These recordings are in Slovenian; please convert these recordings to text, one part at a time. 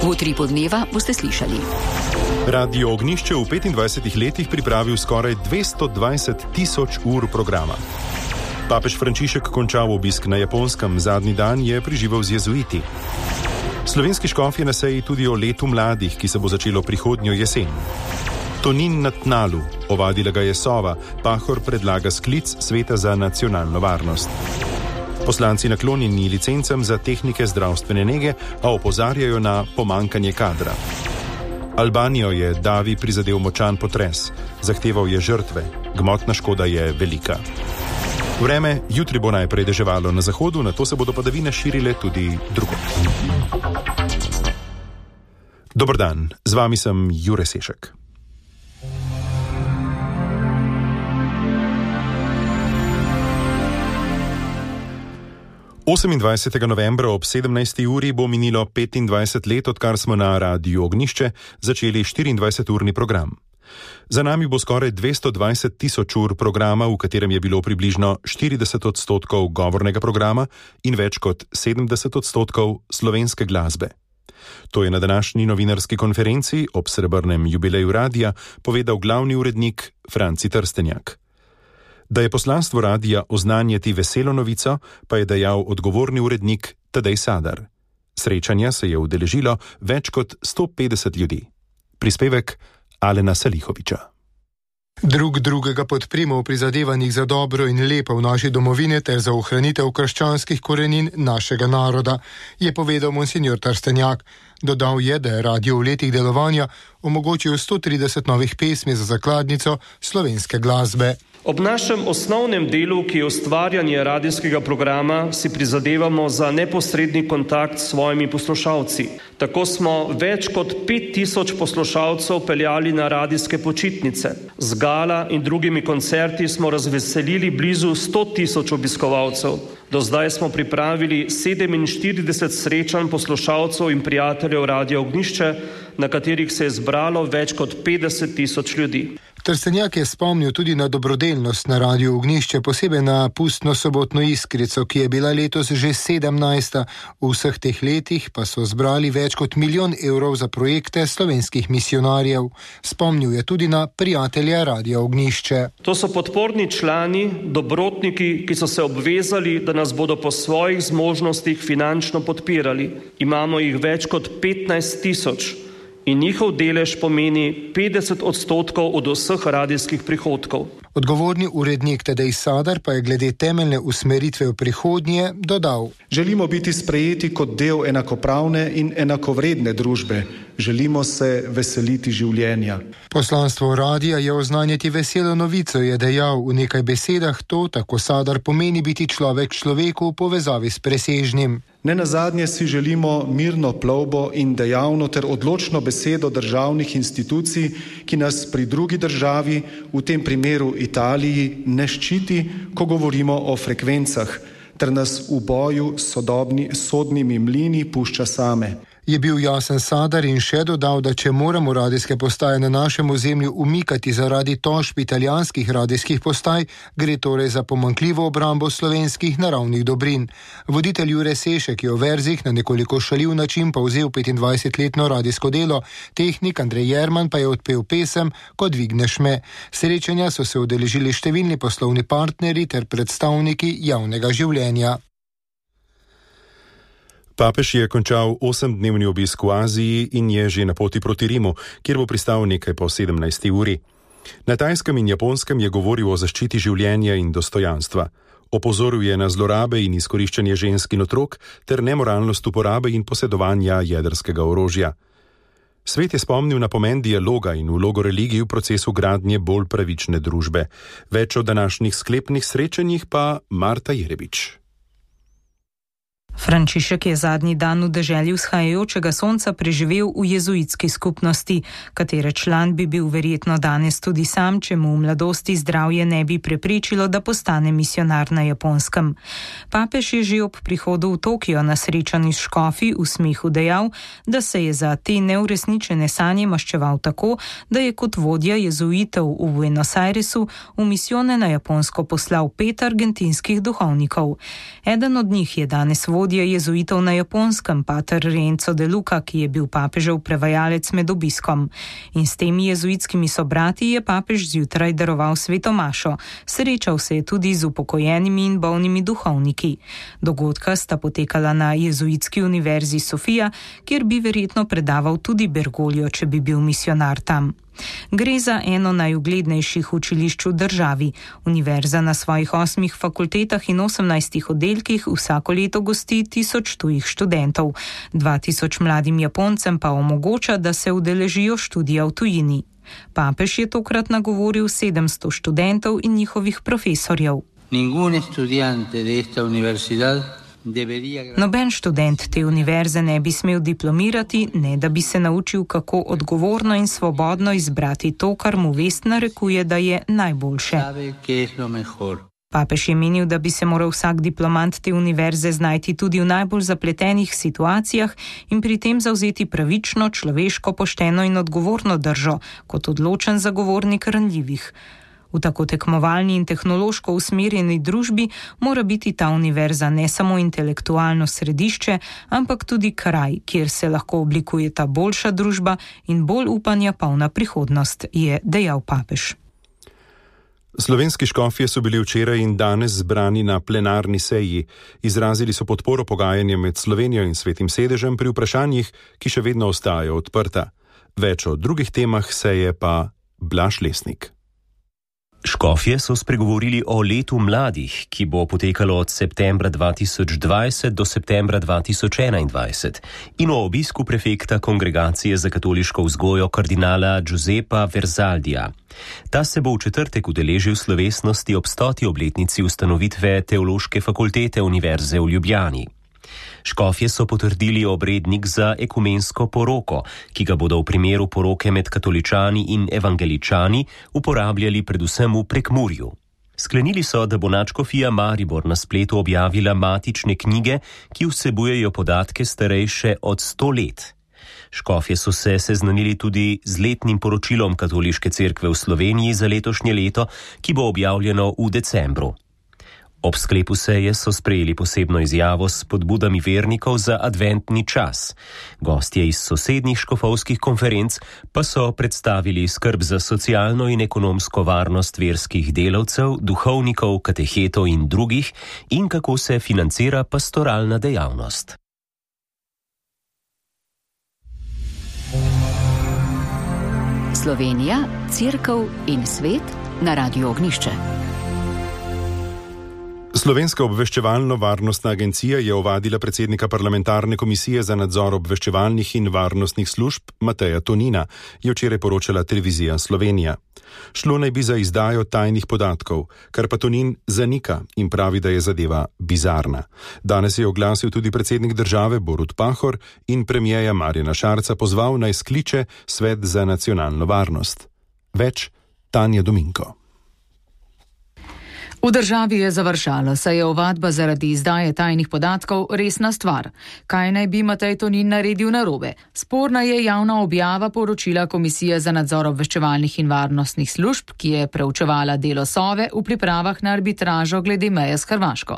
V Utripu dneva boste slišali. Radio Ognjišče v 25 letih pripravil skoraj 220 tisoč ur programa. Papež Frančišek končal obisk na Japonskem, zadnji dan je preživel z jezuiti. Slovenski škof je na seji tudi o letu mladih, ki se bo začelo prihodnjo jesen. Tonin na tnalu, ovadila ga je sova, Pahor predlaga sklic Sveta za nacionalno varnost. Poslanci naklonjeni licencam za tehnike zdravstvene nege, a opozarjajo na pomankanje kadra. Albanijo je davi prizadel močan potres, zahteval je žrtve, gmotna škoda je velika. Vreme, jutri bo najprej deževalo na zahodu, nato se bodo padavine širile tudi drugod. Dober dan, z vami sem Jure Sešek. Novembra ob 17. uri bo minilo 25 let, odkar smo na Radiu Ognjišče začeli 24-urni program. Za nami bo skoraj 220 tisoč ur programa, v katerem je bilo približno 40% govornega programa in več kot 70% slovenske glasbe. To je na današnji novinarski konferenci ob srebrnem jubileju radia povedal glavni urednik Franci Trstenjak. Da je poslanstvo radia oznanjati veselo novico, pa je dejal odgovorni urednik Tadej Sadar. Srečanja se je udeležilo več kot 150 ljudi. Prispevek Alena Salihoviča. Drug drugega podprimo v prizadevanjih za dobro in lepo v naši domovini ter za ohranitev krščanskih korenin našega naroda, je povedal monsignor Trstenjak. Dodal je, da je radio v letih delovanja omogočil 130 novih pesmi za zakladnico slovenske glasbe. Ob našem osnovnem delu, ki je ustvarjanje radijskega programa, si prizadevamo za neposredni kontakt s svojimi poslušalci. Tako smo več kot 5000 poslušalcev peljali na radijske počitnice. Z gala in drugimi koncerti smo razveselili blizu 100 000 obiskovalcev. Do zdaj smo pripravili 47 srečanj poslušalcev in prijateljev Radia Ognjišče, na katerih se je zbralo več kot 50 000 ljudi. Trstenjak je spomnil tudi na dobrodelnost na Radiu Ognjišče, posebej na pustno sobotno iskrico, ki je bila letos že 17. V vseh teh letih pa so zbrali več kot 1 milijon evrov za projekte slovenskih misionarjev. Spomnil je tudi na prijatelje Radia Ognjišče. To so podporni člani, dobrotniki, ki so se obvezali, da nas bodo po svojih zmožnostih finančno podpirali. Imamo jih več kot 15 000. In njihov delež pomeni 50% od vseh radijskih prihodkov. Odgovorni urednik Tadej Sadar pa je glede temeljne usmeritve v prihodnje dodal. Želimo biti sprejeti kot del enakopravne in enakovredne družbe. Želimo se veseliti življenja. Poslanstvo radija je oznanjati veselo novico, je dejal. V nekaj besedah to, tako Sadar, pomeni biti človek človeku v povezavi s presežnim. Nenazadnje si želimo mirno plovbo in dejavno ter odločno besedo državnih institucij, ki nas pri drugi državi, v tem primeru Italiji, ne ščiti, ko govorimo o frekvencah, ter nas v boju s sodnimi mlini pušča same. Je bil jasen Sadar in še dodal, da če moramo radijske postaje na našem ozemlju umikati zaradi tožb italijanskih radijskih postaj, gre torej za pomanjkljivo obrambo slovenskih naravnih dobrin. Voditelj Jure Sešek je v verzih na nekoliko šaljiv način povzel 25-letno radijsko delo, tehnik Andrej Jerman pa je odpel pesem Ko dvigneš me. Srečanja so se udeležili številni poslovni partnerji ter predstavniki javnega življenja. Papež je končal 8-dnevni obisk v Aziji in je že na poti proti Rimu, kjer bo pristal nekaj po 17. uri. Na Tajskem in Japonskem je govoril o zaščiti življenja in dostojanstva. Opozoril je na zlorabe in izkoriščanje žensk in otrok ter nemoralnost uporabe in posedovanja jedrskega orožja. Svet je spomnil na pomen dialoga in vlogo religij v procesu gradnje bolj pravične družbe. Več o današnjih sklepnih srečanjih pa Marta Jerebič. Frančišek je zadnji dan v deželi vzhajajočega sonca preživel v jezuitski skupnosti, katere član bi bil verjetno danes tudi sam, če mu v mladosti zdravje ne bi preprečilo, da postane misionar na Japonskem. Papež je že ob prihodu v Tokio na srečanju s škofi v smehu dejal, da se je za te neuresničene sanje maščeval tako, da je kot vodja jezuitov v Buenos Airesu v misijone na Japonsko poslal 5 argentinskih duhovnikov. Eden od njih je danes vodja vodja jezuitov na Japonskem, pater Renzo de Luca, ki je bil papežev prevajalec med obiskom. In s temi jezuitskimi sobrati je papež zjutraj daroval sveto mašo. Srečal se je tudi z upokojenimi in bolnimi duhovniki. Dogodka sta potekala na jezuitski univerzi Sofija, kjer bi verjetno predaval tudi Bergoglio, če bi bil misionar tam. Gre za eno najuglednejših učilišč v državi. Univerza na svojih 8 fakultetah in 18 oddelkih vsako leto gosti 1000 tujih študentov. 2000 mladim Japoncem pa omogoča, da se udeležijo študija v tujini. Papež je tokrat nagovoril 700 študentov in njihovih profesorjev. Noben študent te univerze ne bi smel diplomirati, ne da bi se naučil, kako odgovorno in svobodno izbrati to, kar mu vest narekuje, da je najboljše. Papež je menil, da bi se moral vsak diplomant te univerze znajti tudi v najbolj zapletenih situacijah in pri tem zavzeti pravično, človeško, pošteno in odgovorno držo, kot odločen zagovornik ranljivih. V tako tekmovalni in tehnološko usmerjeni družbi mora biti ta univerza ne samo intelektualno središče, ampak tudi kraj, kjer se lahko oblikuje ta boljša družba in bolj upanja polna prihodnost, je dejal papež. Slovenski škofje so bili včeraj in danes zbrani na plenarni seji. Izrazili so podporo pogajanjem med Slovenijo in Svetim sedežem pri vprašanjih, ki še vedno ostajajo odprta. Več o drugih temah seje pa Blaž Lesnik. Škofje so spregovorili o letu mladih, ki bo potekalo od septembra 2020 do septembra 2021 in o obisku prefekta Kongregacije za katoliško vzgojo kardinala Giuseppa Verzaldija. Ta se bo v četrtek udeležil slovesnosti ob 100. obletnici ustanovitve Teološke fakultete Univerze v Ljubljani. Škofje so potrdili obrednik za ekumensko poroko, ki ga bodo v primeru poroke med katoličani in evangeličani uporabljali predvsem v Prekmurju. Sklenili so, da bo nadškofija Maribor na spletu objavila matične knjige, ki vsebujejo podatke starejše od 100 let. Škofje so se seznanili tudi z letnim poročilom Katoliške cerkve v Sloveniji za letošnje leto, ki bo objavljeno v decembru. Ob sklepu seje so sprejeli posebno izjavo s spodbudami vernikov za adventni čas. Gostje iz sosednjih škofovskih konferenc pa so predstavili skrb za socialno in ekonomsko varnost verskih delavcev, duhovnikov, katehetov in drugih in kako se financira pastoralna dejavnost. Slovenija, cerkev in svet na Radiu Ognjišče. Slovenska obveščevalno-varnostna agencija je ovadila predsednika parlamentarne komisije za nadzor obveščevalnih in varnostnih služb Mateja Tonina, je včeraj poročala televizija Slovenija. Šlo naj bi za izdajo tajnih podatkov, kar pa Tonin zanika in pravi, da je zadeva bizarna. Danes je oglasil tudi predsednik države Borut Pahor in premierja Marjana Šarca pozval naj skliče Svet za nacionalno varnost. Več Tanja Dominko. V državi je završalo, saj je ovadba zaradi izdaje tajnih podatkov resna stvar. Kaj naj bi Matej Tonin naredil narobe? Sporna je javna objava poročila Komisije za nadzor obveščevalnih in varnostnih služb, ki je preučevala delo Sove v pripravah na arbitražo glede meje s Hrvaško.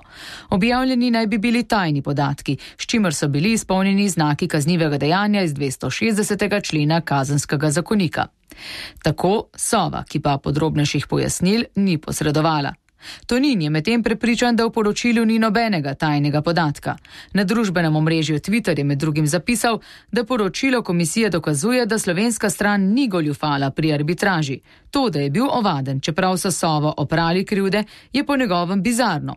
Objavljeni naj bi bili tajni podatki, s čimer so bili izpolnjeni znaki kaznivega dejanja iz 260. člena Kazenskega zakonika. Tako Sova, ki pa podrobnejših pojasnil ni posredovala. Tonin je medtem prepričan, da v poročilu ni nobenega tajnega podatka. Na družbenem omrežju Twitter je med drugim zapisal, da poročilo komisije dokazuje, da slovenska stran ni goljufala pri arbitraži. To, da je bil ovaden, čeprav so Sovo oprali krivde, je po njegovem bizarno.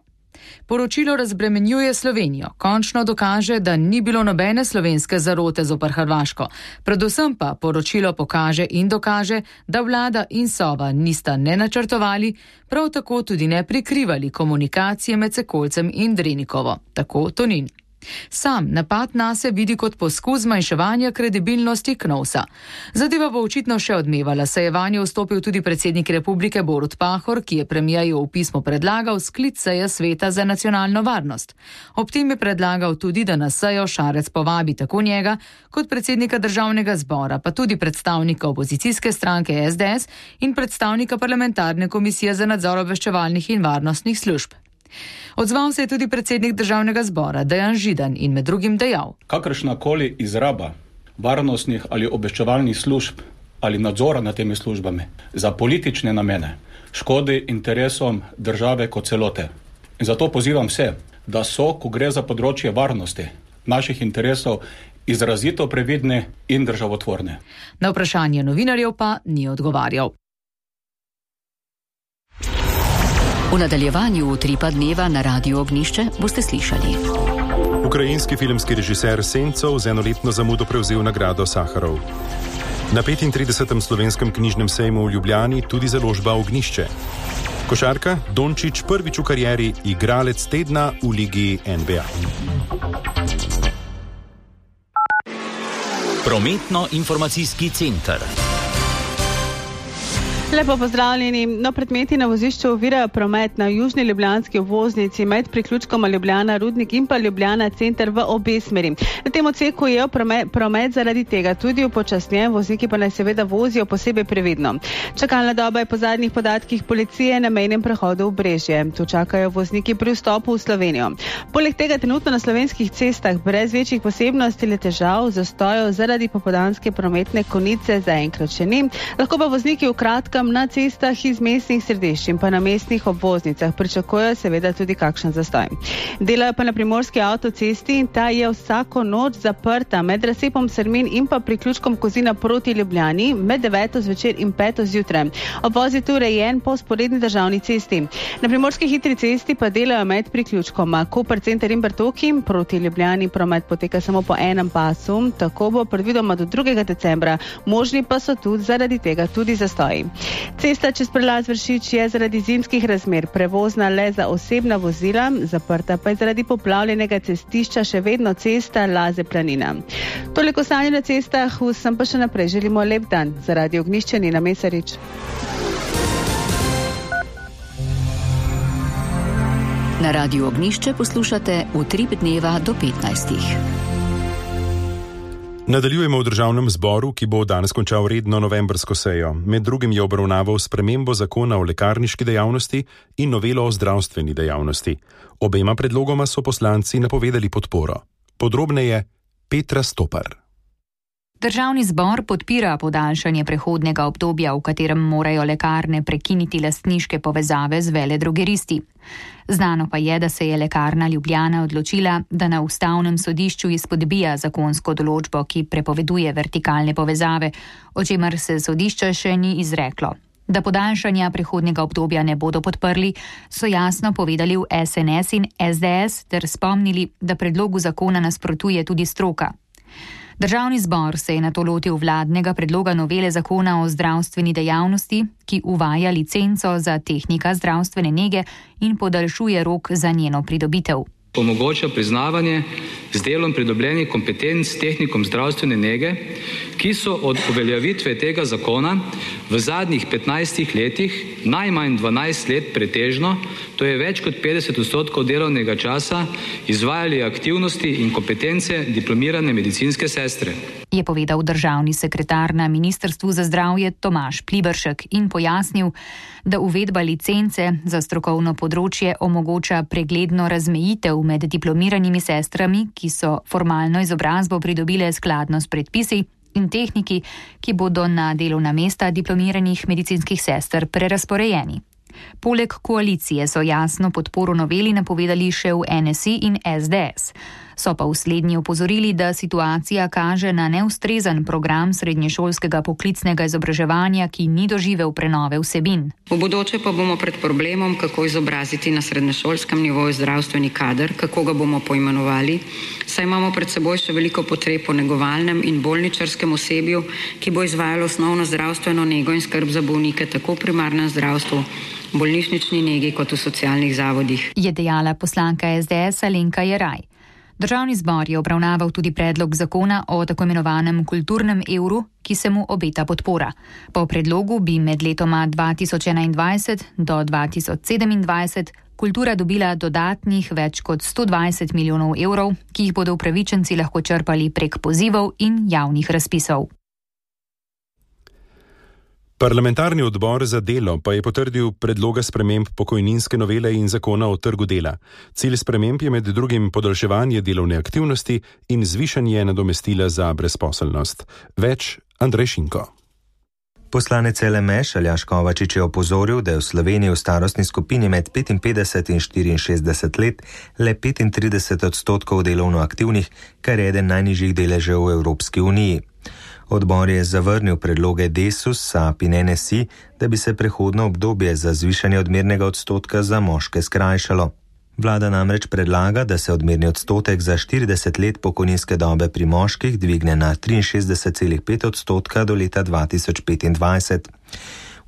Poročilo razbremenjuje Slovenijo, končno dokaže, da ni bilo nobene slovenske zarote zoper Hrvaško. Predvsem pa poročilo pokaže in dokaže, da vlada in Sova nista ne načrtovali, prav tako tudi ne prikrivali komunikacije med Sekolcem in Drenikovo, tako Tonin. Sam napad nase vidi kot poskus zmanjševanja kredibilnosti Knovsa. Zadeva bo očitno še odmevala, saj je vanjo vstopil tudi predsednik republike Borut Pahor, ki je premierju v pismu predlagal sklic seje Sveta za nacionalno varnost. Ob tem je predlagal tudi, da na sejo Šarec povabi tako njega kot predsednika državnega zbora, pa tudi predstavnika opozicijske stranke SDS in predstavnika parlamentarne komisije za nadzor obveščevalnih in varnostnih služb. Odzval se je tudi predsednik državnega zbora Dejan Židan in med drugim dejal: kakršnakoli izraba varnostnih ali obveščevalnih služb ali nadzora nad temi službami za politične namene škodi interesom države kot celote. In zato pozivam vse, da so, ko gre za področje varnosti naših interesov, izrazito previdni in državotvorni. Na vprašanje novinarjev pa ni odgovarjal. V nadaljevanju Utripa dneva na Radiu Ognišče boste slišali. Ukrajinski filmski režiser Sencov z enoletno zamudo prevzel nagrado Saharov. Na 35. slovenskem knjižnem sejmu v Ljubljani tudi založba Ognišče. Košarka Dončić prvič v karieri igralec tedna v ligi NBA. Prometno-informacijski center. Lepo pozdravljeni. Predmeti na vozišču ovirajo promet na južni ljubljanski obvoznici med priključkoma Ljubljana Rudnik in pa Ljubljana Center v obe smeri. Na tem odseku je promet zaradi tega tudi upočasnjen, vozniki pa naj seveda vozijo posebej previdno. Čakalna doba je po zadnjih podatkih policije na mejnem prehodu v Brežje. Tu čakajo vozniki pri vstopu v Slovenijo. Poleg tega trenutno na slovenskih cestah brez večjih posebnosti ali težav zastojev zaradi popoldanske prometne konice zaenkrat še ni. Lahko pa vozniki v kratkem na cestah iz mestnih središč in pa na mestnih obvoznicah pričakujejo seveda tudi kakšen zastoj. Delajo pa na primorski avtocesti in ta je vsako noč zaprta med razcepom Srmin in pa priključkom Kozina proti Ljubljani med 9. zvečer in 5. zjutraj. Obvoz je tu urejen po vzporedni državni cesti. Na primorski hitri cesti pa delajo med priključkoma Koper Center in Bertoki, proti Ljubljani promet poteka samo po enem pasu, tako bo predvidoma do 2. decembra, možni pa so tudi zaradi tega tudi zastoji. Cesta čez prelaz Vršič je zaradi zimskih razmer prevozna le za osebna vozila, zaprta pa je zaradi poplavljenega cestišča še vedno cesta Laze Planina. Toliko stanja na cestah, vsem pa še naprej želimo lep dan. Za Radio Ognišče Nina Mesarič. Na Radiu Ognišče poslušate Utrip dneva do 15. Nadaljujemo v državnem zboru, ki bo danes končal redno novembrsko sejo. Med drugim je obravnaval spremembo zakona o lekarniški dejavnosti in novelo o zdravstveni dejavnosti. Obema predlogoma so poslanci napovedali podporo. Podrobneje Petra Stopar. Državni zbor podpira podaljšanje prehodnega obdobja, v katerem morajo lekarne prekiniti lastniške povezave z veledrogeristi. Znano pa je, da se je Lekarna Ljubljana odločila, da na ustavnem sodišču izpodbija zakonsko določbo, ki prepoveduje vertikalne povezave, o čemer se sodišče še ni izreklo. Da podaljšanja prehodnega obdobja ne bodo podprli, so jasno povedali v SNS in SDS ter spomnili, da predlogu zakona nasprotuje tudi stroka. Državni zbor se je nato lotil vladnega predloga novele zakona o zdravstveni dejavnosti, ki uvaja licenco za tehnika zdravstvene nege in podaljšuje rok za njeno pridobitev. Omogoča priznavanje z delom pridobljenih kompetenc tehnikom zdravstvene nege, ki so od uveljavitve tega zakona v zadnjih 15 letih najmanj 12 let pretežno, to je več kot 50% delovnega časa, izvajali aktivnosti in kompetence diplomirane medicinske sestre. Je povedal državni sekretar na Ministrstvu za zdravje Tomaž Pliberšek in pojasnil, da uvedba licence za strokovno področje omogoča pregledno razmejitev med diplomiranimi sestrami, ki so formalno izobrazbo pridobile skladno s predpisi, in tehniki, ki bodo na delovna mesta diplomiranih medicinskih sester prerasporejeni. Poleg koalicije so jasno podporo noveli napovedali še v NSI in SDS. So pa v slednji opozorili, da situacija kaže na neustrezen program srednješolskega poklicnega izobraževanja, ki ni doživel prenove vsebin. V bodoče pa bomo pred problemom, kako izobraziti na srednješolskem nivoju zdravstveni kader, kako ga bomo poimenovali, saj imamo pred seboj še veliko potreb po negovalnem in bolničarskem osebju, ki bo izvajalo osnovno zdravstveno nego in skrb za bolnike tako v primarnem zdravstvu, bolnišnični negi kot v socialnih zavodih. Je dejala poslanka SDS Alenka Jeraj. Državni zbor je obravnaval tudi predlog zakona o tako imenovanem kulturnem evru, ki se mu obeta podpora. Po predlogu bi med letoma 2021 do 2027 kultura dobila dodatnih več kot 120 milijonov evrov, ki jih bodo upravičenci lahko črpali prek pozivov in javnih razpisov. Parlamentarni odbor za delo pa je potrdil predloga sprememb pokojninske novele in zakona o trgu dela. Cilj sprememb je med drugim podaljševanje delovne aktivnosti in zvišanje nadomestila za brezposelnost. Več Andrej Šinko. Poslanec LMŠ Aljaž Kovačič je opozoril, da je v Sloveniji v starostni skupini med 55 in 64 let le 35% delovno aktivnih, kar je eden najnižjih deležev v Evropski uniji. Odbor je zavrnil predloge Desus, SAP in NSI, da bi se prehodno obdobje za zvišanje odmernega odstotka za moške skrajšalo. Vlada namreč predlaga, da se odmerni odstotek za 40 let pokojninske dobe pri moških dvigne na 63,5% do leta 2025.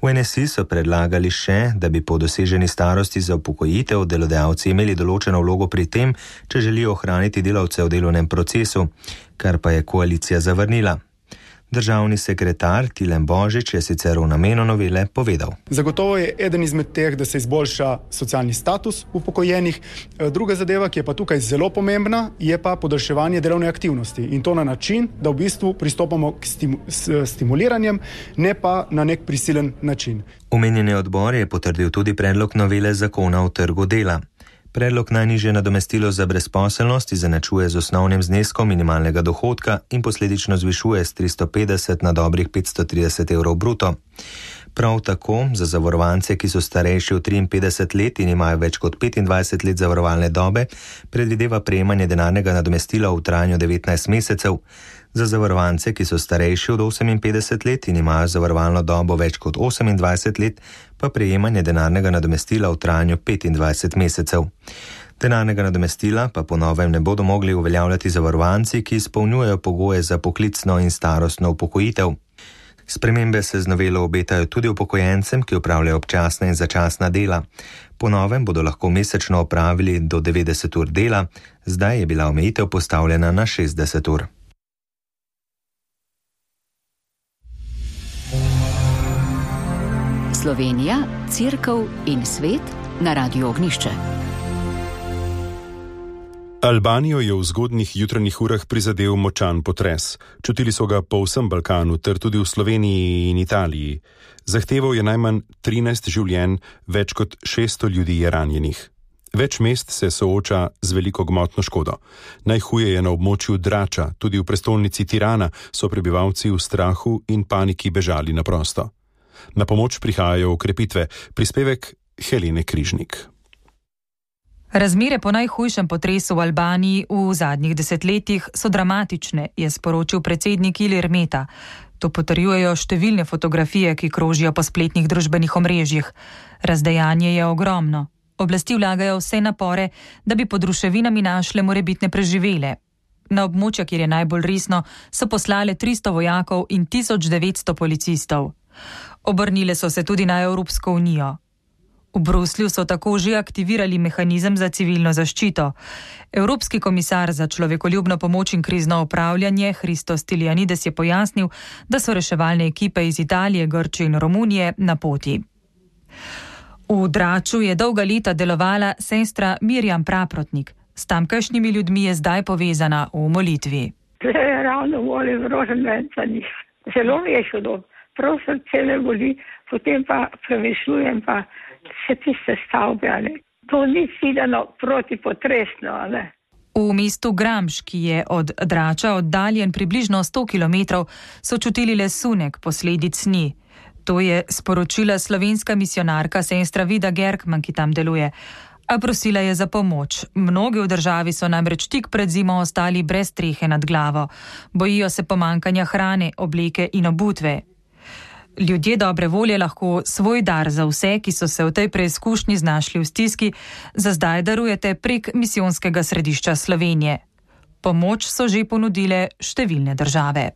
V NSI so predlagali še, da bi po doseženi starosti za upokojitev delodajalci imeli določeno vlogo pri tem, če želijo ohraniti delavce v delovnem procesu, kar pa je koalicija zavrnila. Državni sekretar Tilen Božič je sicer v namenu novele povedal. Zagotovo je eden izmed teh, da se izboljša socialni status upokojenih. Druga zadeva, ki je pa tukaj zelo pomembna, je pa podaljševanje delovne aktivnosti. In to na način, da v bistvu pristopamo k stimuliranjem, ne pa na nek prisilen način. Omenjeni odbor je potrdil tudi predlog novele zakona o trgu dela. Predlog najnižje nadomestilo za brezposelnost izenačuje z osnovnim zneskom minimalnega dohodka in posledično zvišuje z 350 na dobrih 530 evrov bruto. Prav tako za zavarovance, ki so starejši od 53 let in imajo več kot 25 let zavarovalne dobe, predvideva prejemanje denarnega nadomestila v trajanju 19 mesecev. Za zavarovance, ki so starejši od 58 let in imajo zavarovalno dobo več kot 28 let, pa prejemanje denarnega nadomestila v trajanju 25 mesecev. Denarnega nadomestila pa po novem ne bodo mogli uveljavljati zavarovanci, ki izpolnjujejo pogoje za poklicno in starostno upokojitev. Spremembe se z novelo obetajo tudi upokojencem, ki opravljajo občasna in začasna dela. Po novem bodo lahko mesečno opravili do 90 ur dela, zdaj je bila omejitev postavljena na 60 ur. Slovenija, Cerkev in svet na Radiu Ognišče. Albanijo je v zgodnjih jutranjih urah prizadel močan potres. Čutili so ga po vsem Balkanu, ter tudi v Sloveniji in Italiji. Zahteval je najmanj 13 življenj, več kot 600 ljudi je ranjenih. Več mest se sooča z veliko gmotno škodo. Najhuje je na območju Drača, tudi v prestolnici Tirana so prebivalci v strahu in paniki bežali na prosto. Na pomoč prihajajo ukrepitve. Prispevek Helene Križnik. Razmere po najhujšem potresu v Albaniji v zadnjih desetletjih so dramatične, je sporočil predsednik Ilir Meta. To potrjujejo številne fotografije, ki krožijo po spletnih družbenih omrežjih. Razdejanje je ogromno. Oblasti vlagajo vse napore, da bi pod ruševinami našle morebitne preživele. Na območja, kjer je najbolj resno, so poslale 300 vojakov in 1900 policistov. Obrnile so se tudi na Evropsko unijo. V Bruslju so tako že aktivirali mehanizem za civilno zaščito. Evropski komisar za človekoljubno pomoč in krizno upravljanje Christos Stylianides je pojasnil, da so reševalne ekipe iz Italije, Grčije in Romunije na poti. V Draču je dolga leta delovala sestra Mirjam Praprotnik. S tamkajšnjimi ljudmi je zdaj povezana v molitvi. Ravno volim roženvenca njih. Zelo mi je šlo. Prav srce me boli, potem pa premišljujem pa še tiste stavbe. To ni videno protipotresno. V mestu Gramš, ki je od Drača oddaljen približno 100 km, so čutili le sunek posledic sni. To je sporočila slovenska misionarka sestra Vida Gerkman, ki tam deluje. A prosila je za pomoč. Mnogi v državi so namreč tik pred zimo ostali brez strehe nad glavo. Bojijo se pomankanja hrane, obleke in obutve. Ljudje dobre volje lahko svoj dar za vse, ki so se v tej preizkušnji znašli v stiski, za zdaj darujete prek misijonskega središča Slovenije. Pomoč so že ponudile številne države.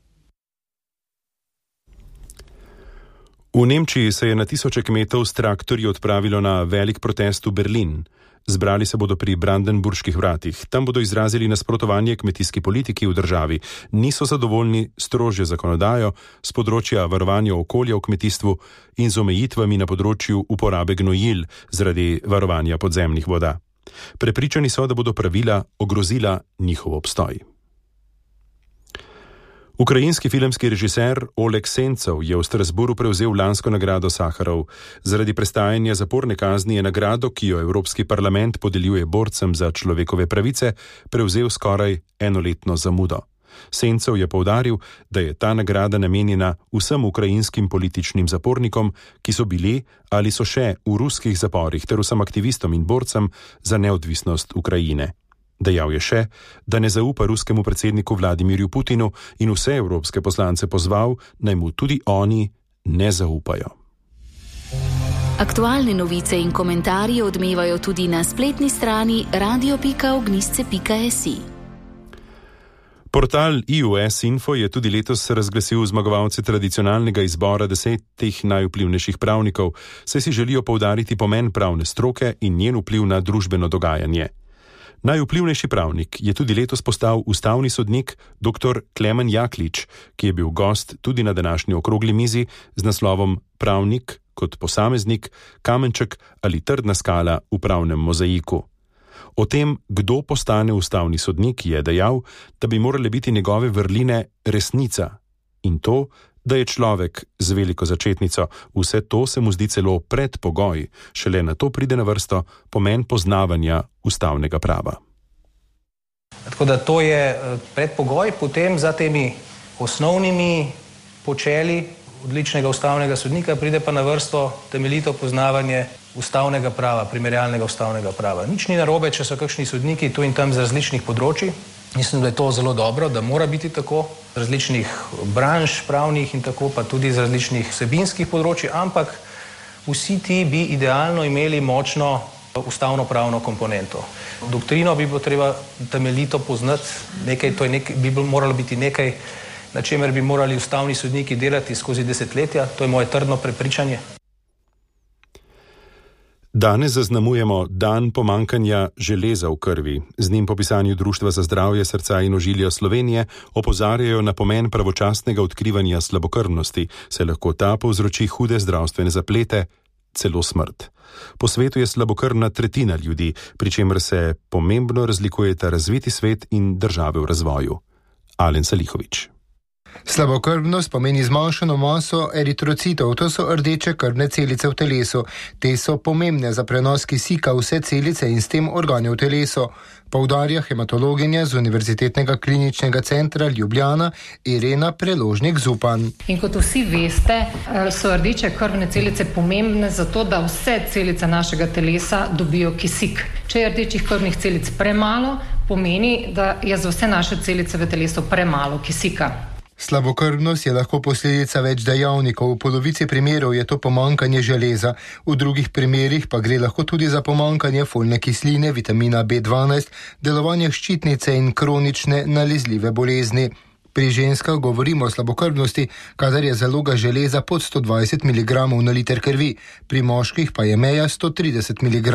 V Nemčiji se je na tisoče kmetov s traktorji odpravilo na velik protest v Berlin. Zbrali se bodo pri Brandenburških vratih. Tam bodo izrazili nasprotovanje kmetijski politiki v državi. Niso zadovoljni s strožjo zakonodajo z področja varovanja okolja v kmetijstvu in z omejitvami na področju uporabe gnojil zaradi varovanja podzemnih voda. Prepričani so, da bodo pravila ogrozila njihov obstoj. Ukrajinski filmski režiser Oleg Sencov je v Strasburu prevzel lansko nagrado Saharov. Zaradi prestajanja zaporne kazni je nagrado, ki jo Evropski parlament podeljuje borcem za človekove pravice, prevzel skoraj enoletno zamudo. Sencov je poudaril, da je ta nagrada namenjena vsem ukrajinskim političnim zapornikom, ki so bili ali so še v ruskih zaporih, ter vsem aktivistom in borcem za neodvisnost Ukrajine. Dejal je še, da ne zaupa ruskemu predsedniku Vladimirju Putinu in vse evropske poslance pozval, naj mu tudi oni ne zaupajo. Aktualne novice in komentarji odmevajo tudi na spletni strani radio.ognisce.si. Portal IUS Info je tudi letos razglasil zmagovalce tradicionalnega izbora 10 najvplivnejših pravnikov, saj si želijo poudariti pomen pravne stroke in njen vpliv na družbeno dogajanje. Najvplivnejši pravnik je tudi letos postal ustavni sodnik dr. Klemen Jaklič, ki je bil gost tudi na današnji okrogli mizi z naslovom Pravnik kot posameznik, kamenček ali trdna skala v pravnem mozaiku. O tem, kdo postane ustavni sodnik, je dejal, da bi morale biti njegove vrline resnica in to, da je človek z veliko začetnico. Vse to se mu zdi celo predpogoj, šele na to pride na vrsto pomen poznavanja ustavnega prava. Tako da to je predpogoj, potem za temi osnovnimi počeli odličnega ustavnega sodnika pride pa na vrsto temeljito poznavanje ustavnega prava, primerjalnega ustavnega prava. Nič ni narobe, če so kakšni sodniki tu in tam z različnih področij. Mislim, da je to zelo dobro, da mora biti tako, z različnih branž pravnih in tako, pa tudi z različnih vsebinskih področij, ampak vsi ti bi idealno imeli močno ustavno-pravno komponento. Doktrino bi bilo treba temeljito poznati, bi moralo biti nekaj, na čemer bi morali ustavni sodniki delati skozi desetletja, to je moje trdno prepričanje. Danes zaznamujemo dan pomankanja železa v krvi. Z njim po pisanju Društva za zdravje srca in ožilja Slovenije opozarjajo na pomen pravočasnega odkrivanja slabokrvnosti, saj lahko ta povzroči hude zdravstvene zaplete, celo smrt. Po svetu je slabokrvna tretjina ljudi, pri čemer se pomembno razlikujeta razviti svet in države v razvoju. Alen Salihović. Slabokrvnost pomeni zmanjšano maso eritrocitov, to so rdeče krvne celice v telesu. Te so pomembne za prenos kisika v vse celice in s tem organe v telesu, poudarja hematologinja z Univerzitetnega kliničnega centra Ljubljana Irena Preložnik-Zupan. In kot vsi veste, so rdeče krvne celice pomembne zato, da vse celice našega telesa dobijo kisik. Če je rdečih krvnih celic premalo, pomeni, da je za vse naše celice v telesu premalo kisika. Slabokrvnost je lahko posledica več dejavnikov, v polovici primerov je to pomanjkanje železa, v drugih primerih pa gre lahko tudi za pomanjkanje folne kisline, vitamina B12, delovanje ščitnice in kronične nalezljive bolezni. Pri ženskah govorimo o slabokrvnosti, kadar je zaloga železa pod 120 mg na liter krvi, pri moških pa je meja 130 mg.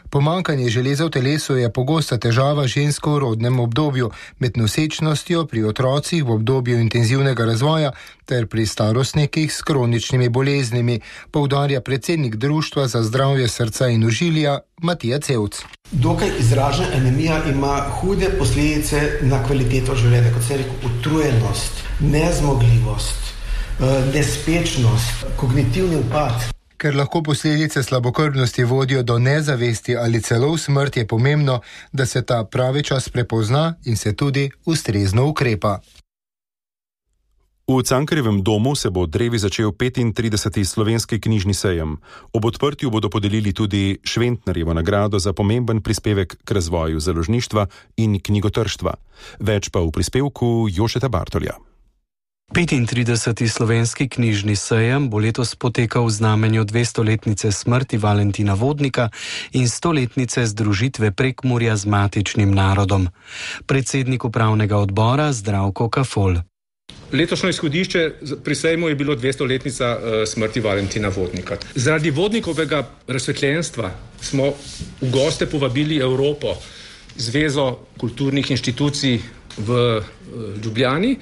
Pomanjkanje železa v telesu je pogosta težava žensko v rodnem obdobju, med nosečnostjo, pri otrocih v obdobju intenzivnega razvoja ter pri starostnikih s kroničnimi boleznimi, poudarja predsednik Društva za zdravje srca in ožilja Matija Cevc. Dokaj izražena anemija ima hude posledice na kvaliteto življenja, kot se reče, utrujenost, nezmogljivost, nespečnost, kognitivni upad. Ker lahko posledice slabokrvnosti vodijo do nezavesti ali celo v smrt, je pomembno, da se ta pravi čas prepozna in se tudi ustrezno ukrepa. V Cankarjevem domu se bo drevi začel 35. slovenski knjižni sejem. Ob odprtju bodo podelili tudi Šventnerjevo nagrado za pomemben prispevek k razvoju založništva in knjigotrštva. Več pa v prispevku Jožeta Bartolja. 35. slovenski knjižni sejem bo letos potekal v znamenju 200-letnice smrti Valentina Vodnika in 100-letnice združitve Prekmurja z matičnim narodom. Predsednik upravnega odbora Zdravko Kafol. Letošnje izhodišče pri sejmu je bilo 200-letnica smrti Valentina Vodnika. Zaradi Vodnikovega razsvetljenstva smo v goste povabili Evropo, Zvezo kulturnih inštitucij v Ljubljani.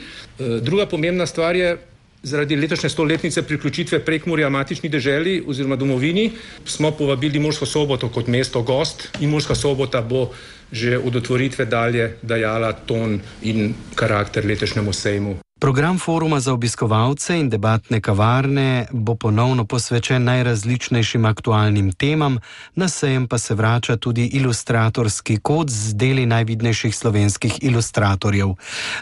Druga pomembna stvar je, zaradi letošnje 100-letnice priključitve Prekmurja matični deželi oziroma domovini, smo povabili Mursko Soboto kot mesto gost in Murska Sobota bo že od otvoritve dalje dajala ton in karakter letošnjemu sejmu. Program foruma za obiskovalce in debatne kavarne bo ponovno posvečen najrazličnejšim aktualnim temam, na sejem pa se vrača tudi ilustratorski kod z deli najvidnejših slovenskih ilustratorjev.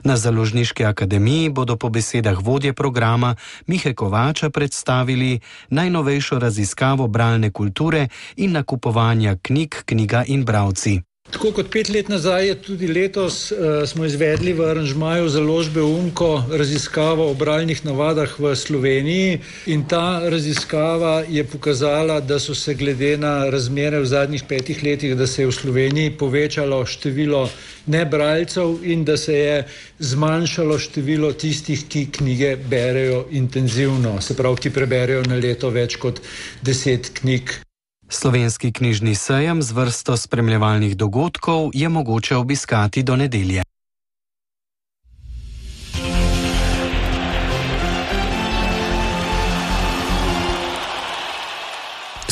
Na Založniški akademiji bodo po besedah vodje programa Mihe Kovača predstavili najnovejšo raziskavo bralne kulture in nakupovanja knjig, knjiga in bralci. Tako kot 5 let nazaj je tudi letos smo izvedli v aranžmaju založbe UMCO raziskavo o bralnih navadah v Sloveniji in ta raziskava je pokazala, da so se glede na razmere v zadnjih 5 letih, da se je v Sloveniji povečalo število nebralcev in da se je zmanjšalo število tistih, ki knjige berejo intenzivno, se pravi, ki preberejo na leto več kot 10 knjig. Slovenski knjižni sejem z vrsto spremljevalnih dogodkov je mogoče obiskati do nedelje.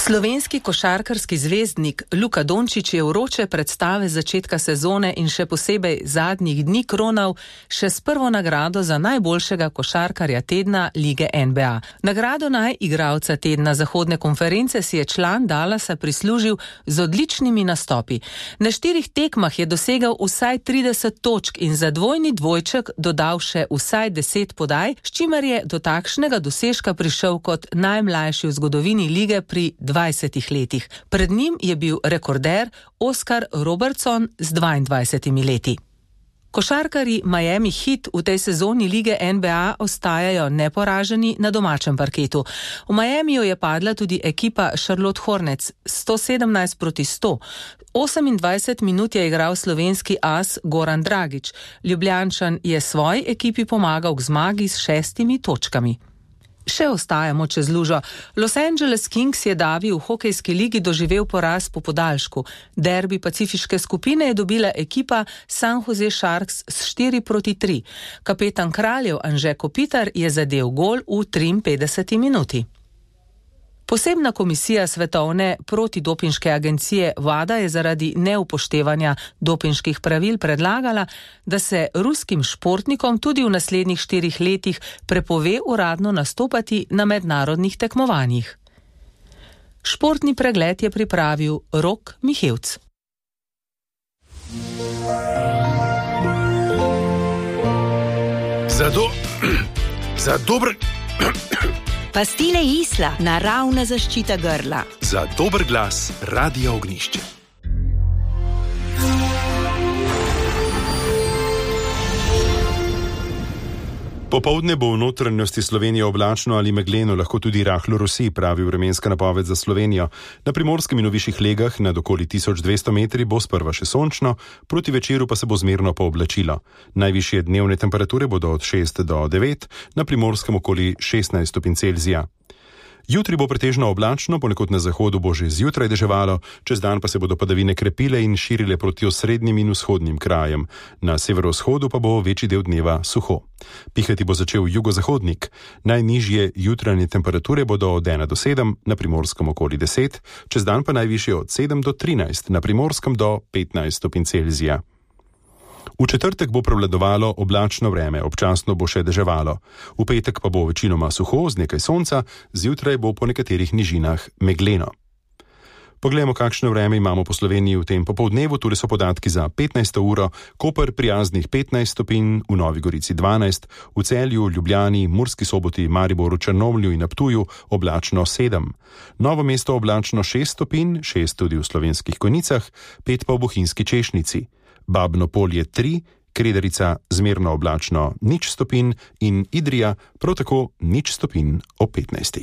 Slovenski košarkarski zvezdnik Luka Dončić je vroče predstave začetka sezone in še posebej zadnjih dni kronal še s prvo nagrado za najboljšega košarkarja tedna lige NBA. Nagrado najigralca tedna zahodne konference si je član Dallasa prislužil z odličnimi nastopi. Na 4 tekmah je dosegal vsaj 30 točk in za dvojni dvojček dodal še vsaj 10 podaj, s čimer je do takšnega dosežka prišel kot najmlajši v zgodovini lige pri 20 letih. Pred njim je bil rekorder Oscar Robertson z 22 leti. Košarkarji Miami Heat v tej sezoni lige NBA ostajajo neporaženi na domačem parketu. V Miamiju je padla tudi ekipa Charlotte Hornets 117-100. 28 minut je igral slovenski as Goran Dragić. Ljubljančan je svoji ekipi pomagal k zmagi s 6 točkami. Še ostajamo čez lužo. Los Angeles Kings je davi v hokejski ligi doživel poraz po podaljšku. Derbi pacifiške skupine je dobila ekipa San Jose Sharks s 4-3. Kapetan Kraljev Anže Kopitar je zadel gol v 53 minuti. Posebna komisija Svetovne protidopinške agencije WADA je zaradi neupoštevanja dopinških pravil predlagala, da se ruskim športnikom tudi v naslednjih 4 letih prepove uradno nastopati na mednarodnih tekmovanjih. Športni pregled je pripravil Rok Mihevc. Za dober... Pastile Isla, naravna zaščita grla. Za dober glas, Radio Ognišče. Popoldne bo v notranjosti Slovenije oblačno ali megleno, lahko tudi rahlo rosi, pravi vremenska napoved za Slovenijo. Na primorskem in v višjih legah nad okoli 1200 metri bo sprva še sončno, proti večeru pa se bo zmerno pooblačilo. Najvišje dnevne temperature bodo od 6 do 9, na primorskem okoli 16 stopinj Celzija. Jutri bo pretežno oblačno, ponekod na zahodu bo že zjutraj deževalo, čez dan pa se bodo padavine krepile in širile proti osrednjim in vzhodnim krajem. Na severovzhodu pa bo večji del dneva suho. Pihati bo začel jugozahodnik. Najnižje jutranje temperature bodo od 1 do 7, na primorskem okoli 10, čez dan pa najvišje od 7 do 13, na primorskem do 15 stopinj Celzija. V četrtek bo prevladovalo oblačno vreme, občasno bo še deževalo. V petek pa bo večinoma suho, z nekaj sonca, zjutraj bo po nekaterih nižinah megleno. Poglejmo, kakšno vreme imamo po Sloveniji v tem popoldnevu. Tule so podatki za 15. uro, Koper prijaznih 15 stopinj, v Novi Gorici 12, v Celju, Ljubljani, Murski Soboti, Mariboru, Črnomlju in na Ptuju oblačno 7. Novo mesto oblačno 6 stopinj, 6 tudi v Slovenskih Konjicah, 5 pa v Bohinjski Češnjici. Babno Polje 3, Kredarica zmerno oblačno 0 stopinj in Idrija prav tako 0 stopinj ob 15.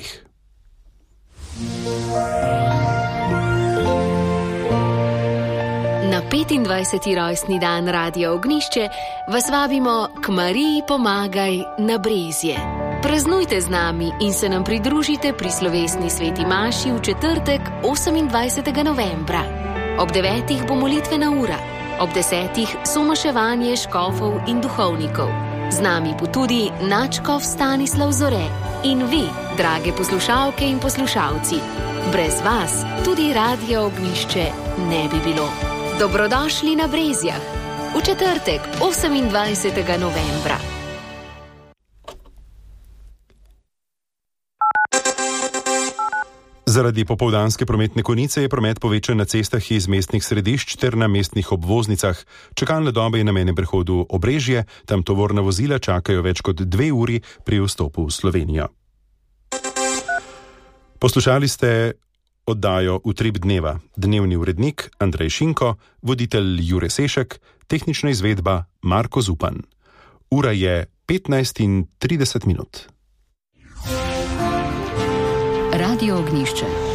Na 25. rojstni dan Radio Ognišče vas vabimo k Mariji Pomagaj na Brezje. Praznujte z nami in se nam pridružite pri slovesni sveti maši v četrtek 28. novembra. Ob 9. bo molitvena ura. Ob 10. somaševanje škofov in duhovnikov. Z nami bo tudi nadškof Stanislav Zore in vi, drage poslušalke in poslušalci. Brez vas tudi Radio Ognišče ne bi bilo. Dobrodošli na Brezjah v četrtek 28. novembra. Zaradi popoldanske prometne konice je promet povečan na cestah iz mestnih središč ter na mestnih obvoznicah. Čakalne dobe je na mejnem prehodu Obrežje, tam tovorna vozila čakajo več kot 2 uri pri vstopu v Slovenijo. Poslušali ste oddajo Utrip dneva. Dnevni urednik Andrej Šinko, voditelj Jure Sešek, tehnična izvedba Marko Zupan. Ura je 15:30. Radio Ognišče.